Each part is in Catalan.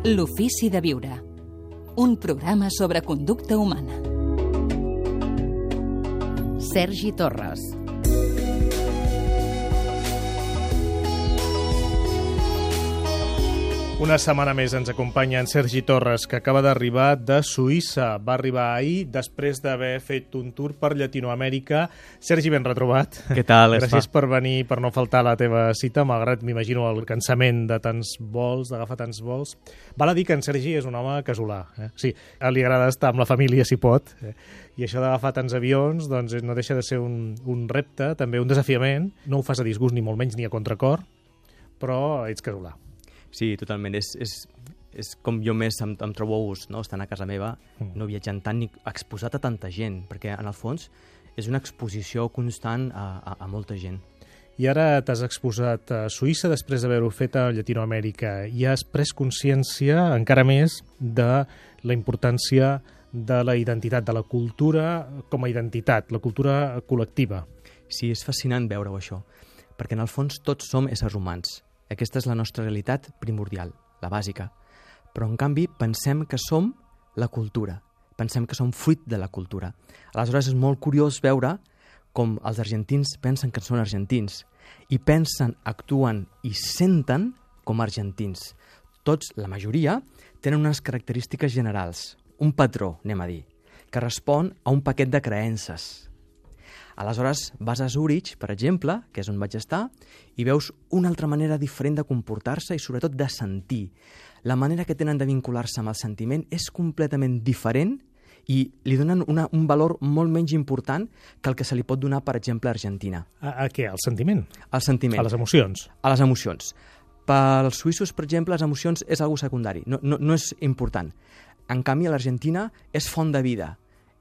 L'ofici de viure. Un programa sobre conducta humana. Sergi Torres. Una setmana més ens acompanya en Sergi Torres, que acaba d'arribar de Suïssa. Va arribar ahir després d'haver fet un tour per Llatinoamèrica. Sergi, ben retrobat. Què tal? Gràcies per venir, per no faltar a la teva cita, malgrat, m'imagino, el cansament de tants vols, d'agafar tants vols. Val a dir que en Sergi és un home casolà. Sí, li agrada estar amb la família, si pot. I això d'agafar tants avions doncs, no deixa de ser un repte, també un desafiament. No ho fas a disgust, ni molt menys, ni a contracor, però ets casolà. Sí, totalment. És com jo més em trobo a gust, no? Estant a casa meva, no viatjant tant ni exposat a tanta gent, perquè en el fons és una exposició constant a molta gent. I ara t'has exposat a Suïssa després d'haver-ho fet a Llatinoamèrica i has pres consciència encara més de la importància de la identitat, de la cultura com a identitat, la cultura col·lectiva. Sí, és fascinant veure-ho això, perquè en el fons tots som éssers humans. Aquesta és la nostra realitat primordial, la bàsica. Però, en canvi, pensem que som la cultura. Pensem que som fruit de la cultura. Aleshores, és molt curiós veure com els argentins pensen que són argentins i pensen, actuen i senten com argentins. Tots, la majoria, tenen unes característiques generals, un patró, anem a dir, que respon a un paquet de creences. Aleshores, vas a Zurich, per exemple, que és on vaig estar, i veus una altra manera diferent de comportar-se i sobretot de sentir. La manera que tenen de vincular-se amb el sentiment és completament diferent i li donen un valor molt menys important que el que se li pot donar, per exemple, a Argentina. A què? Al sentiment? Al sentiment. A les emocions? A les emocions. Pels suïssos, per exemple, les emocions és algo secundari, no és important. En canvi, a l'Argentina és font de vida.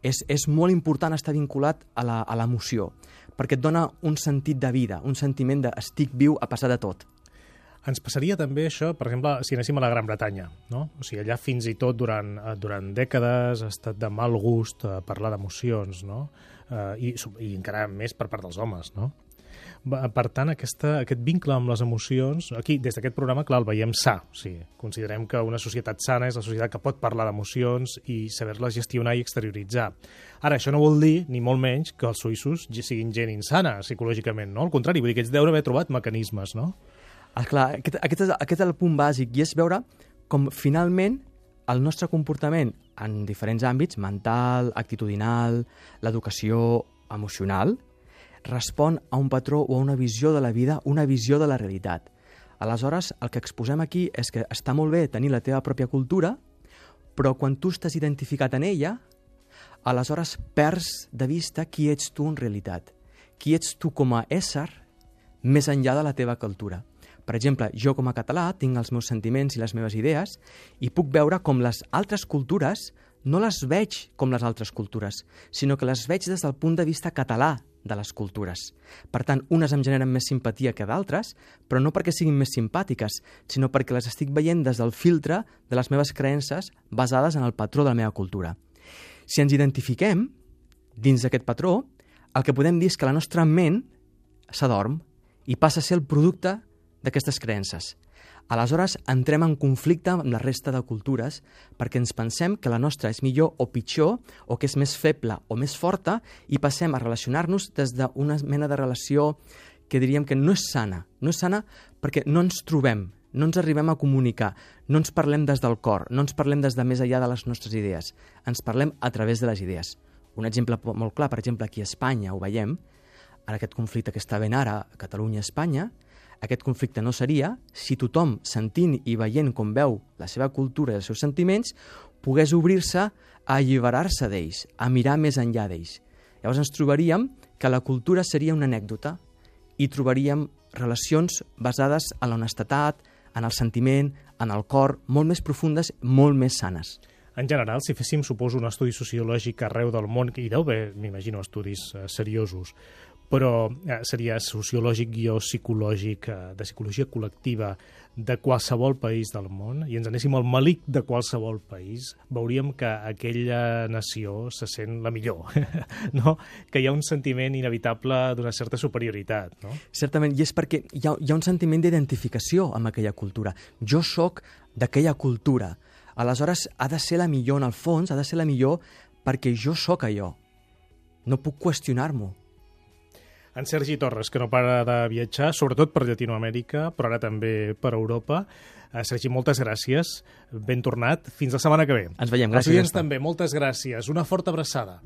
És molt important estar vinculat a l'emoció, perquè et dona un sentit de vida, un sentiment de estic viu a pesar de tot. Ens passaria també això, per exemple, si anéssim a la Gran Bretanya, no? O sigui, allà fins i tot durant dècades ha estat de mal gust parlar d'emocions, no? I encara més per part dels homes, no? Per tant, aquest vincle amb les emocions, aquí, des d'aquest programa, clar, el veiem sa. O sigui, considerem que una societat sana és la societat que pot parlar d'emocions i saber-les gestionar i exterioritzar. Ara, això no vol dir, ni molt menys, que els suïssos siguin gent insana psicològicament, no? Al contrari, vull dir que ells deuen haver trobat mecanismes, no? Clar, aquest és el punt bàsic, i és veure com finalment el nostre comportament en diferents àmbits, mental, actitudinal, l'educació emocional, respon a un patró o a una visió de la vida, una visió de la realitat. Aleshores, el que exposem aquí és que està molt bé tenir la teva pròpia cultura, però quan tu estàs identificat en ella, aleshores perds de vista qui ets tu en realitat, qui ets tu com a ésser més enllà de la teva cultura. Per exemple, jo com a català tinc els meus sentiments i les meves idees i puc veure com les altres cultures no les veig com les altres cultures, sinó que les veig des del punt de vista català de les cultures. Per tant, unes em generen més simpatia que d'altres, però no perquè siguin més simpàtiques, sinó perquè les estic veient des del filtre de les meves creences basades en el patró de la meva cultura. Si ens identifiquem dins d'aquest patró, el que podem dir és que la nostra ment s'adorm i passa a ser el producte d'aquestes creences. Aleshores, entrem en conflicte amb la resta de cultures perquè ens pensem que la nostra és millor o pitjor, o que és més feble o més forta, i passem a relacionar-nos des d'una mena de relació que diríem que no és sana. No és sana perquè no ens trobem, no ens arribem a comunicar, no ens parlem des del cor, no ens parlem des de més enllà de les nostres idees, ens parlem a través de les idees. Un exemple molt clar, per exemple, aquí a Espanya ho veiem, ara aquest conflicte que està ben ara a Catalunya-Espanya, aquest conflicte no seria si tothom, sentint i veient com veu la seva cultura i els seus sentiments, pogués obrir-se a alliberar-se d'ells, a mirar més enllà d'ells. Llavors ens trobaríem que la cultura seria una anècdota i trobaríem relacions basades en l'honestedat, en el sentiment, en el cor, molt més profundes, molt més sanes. En general, si féssim, suposo, un estudi sociològic arreu del món, i deu haver, m'imagino, estudis seriosos, però seria sociològic o psicològic, de psicologia col·lectiva, de qualsevol país del món i ens anéssim al malic de qualsevol país, veuríem que aquella nació se sent la millor, no? Que hi ha un sentiment inevitable d'una certa superioritat, no? Certament, i és perquè hi ha un sentiment d'identificació amb aquella cultura. Jo sóc d'aquella cultura. Aleshores, ha de ser la millor, en el fons, ha de ser la millor perquè jo sóc allò. No puc qüestionar-m'ho. En Sergi Torres, que no para de viatjar, sobretot per Llatinoamèrica, però ara també per Europa. Sergi, moltes gràcies. Ben tornat. Fins la setmana que ve. Ens veiem. Gràcies. Els oients també, moltes gràcies. Una forta abraçada.